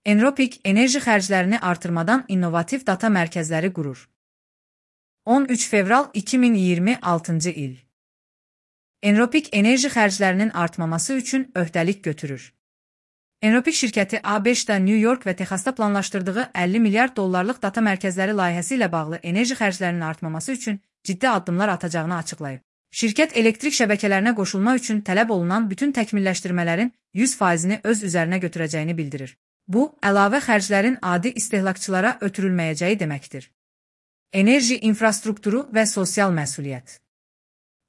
Enropik, enerji xərclərini artırmadan innovativ data mərkəzləri qurur. 13 fevral 2026 il. Enropik, enerji xərclərinin artmaması üçün öhdəlik götürür. Enropik şirkəti ABŞ-da, New York və Texasda planlaşdırdığı 50 milyard dollarlıq data mərkəzləri layihəsi ilə bağlı enerji xərclərinin artmaması üçün ciddi addımlar atacağını açıqlayıb. Şirkət elektrik şəbəkələrinə qoşulma üçün tələb olunan bütün təkmilləşdirmələrin 100%-ni öz üzərinə götürəcəyini bildirir. Bu, əlavə xərclərin adi istehlakçılara ötürülməyəcəyi deməkdir. Enerji infrastrukturu və sosial məsuliyyət.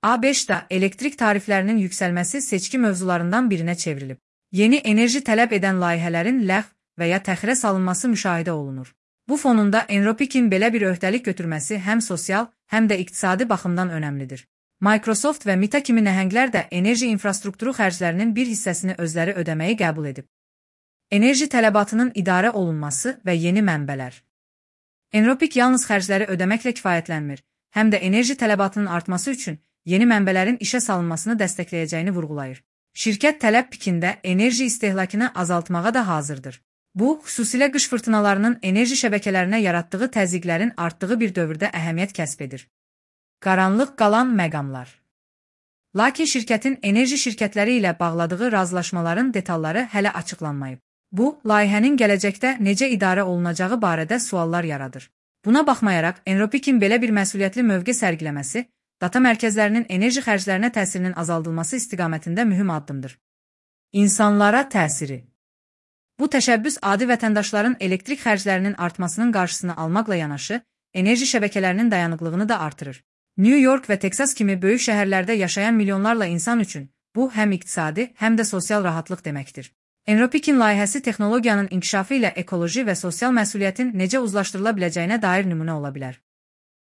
ABŞ-da elektrik tariflərinin yüksəlməsi seçki mövzularından birinə çevrilib. Yeni enerji tələb edən layihələrin ləğv və ya təxirə salınması müşahidə olunur. Bu fonunda Enropik'in belə bir öhdəlik götürməsi həm sosial, həm də iqtisadi baxımdan önəmlidir. Microsoft və Meta kimi nəhənglər də enerji infrastrukturu xərclərinin bir hissəsini özləri ödəməyi qəbul edib. Enerji tələbatının idarə olunması və yeni mənbələr. Enropik yalnız xərcləri ödəməklə kifayətlənmir, həm də enerji tələbatının artması üçün yeni mənbələrin işə salınmasını dəstəkləyəcəyini vurğulayır. Şirkət tələb pikində enerji istehlakını azaltmağa da hazırdır. Bu, xüsusilə qış fırtınalarının enerji şəbəkələrinə yaratdığı təzyiqlərin artdığı bir dövrdə əhəmiyyət kəsb edir. Qaranlıq qalan məqamlar. Lakin şirkətin enerji şirkətləri ilə bağladığı razılaşmaların detalları hələ açıqlanmayıb. Bu, layihənin gələcəkdə necə idarə olunacağı barədə suallar yaradır. Buna baxmayaraq, Enropik'in belə bir məsuliyyətli mövqe sərgiləməsi, data mərkəzlərinin enerji xərclərinə təsirinin azaldılması istiqamətində mühüm addımdır. İnsanlara təsiri. Bu təşəbbüs adi vətəndaşların elektrik xərclərinin artmasının qarşısını almaqla yanaşı, enerji şəbəkələrinin dayanıqlığını da artırır. New York və Texas kimi böyük şəhərlərdə yaşayan milyonlarla insan üçün bu həm iqtisadi, həm də sosial rahatlıq deməkdir. Enropik'in layihəsi texnologiyanın inkişafı ilə ekoloji və sosial məsuliyyətin necə uzlaşdırıla biləcəyinə dair nümunə ola bilər.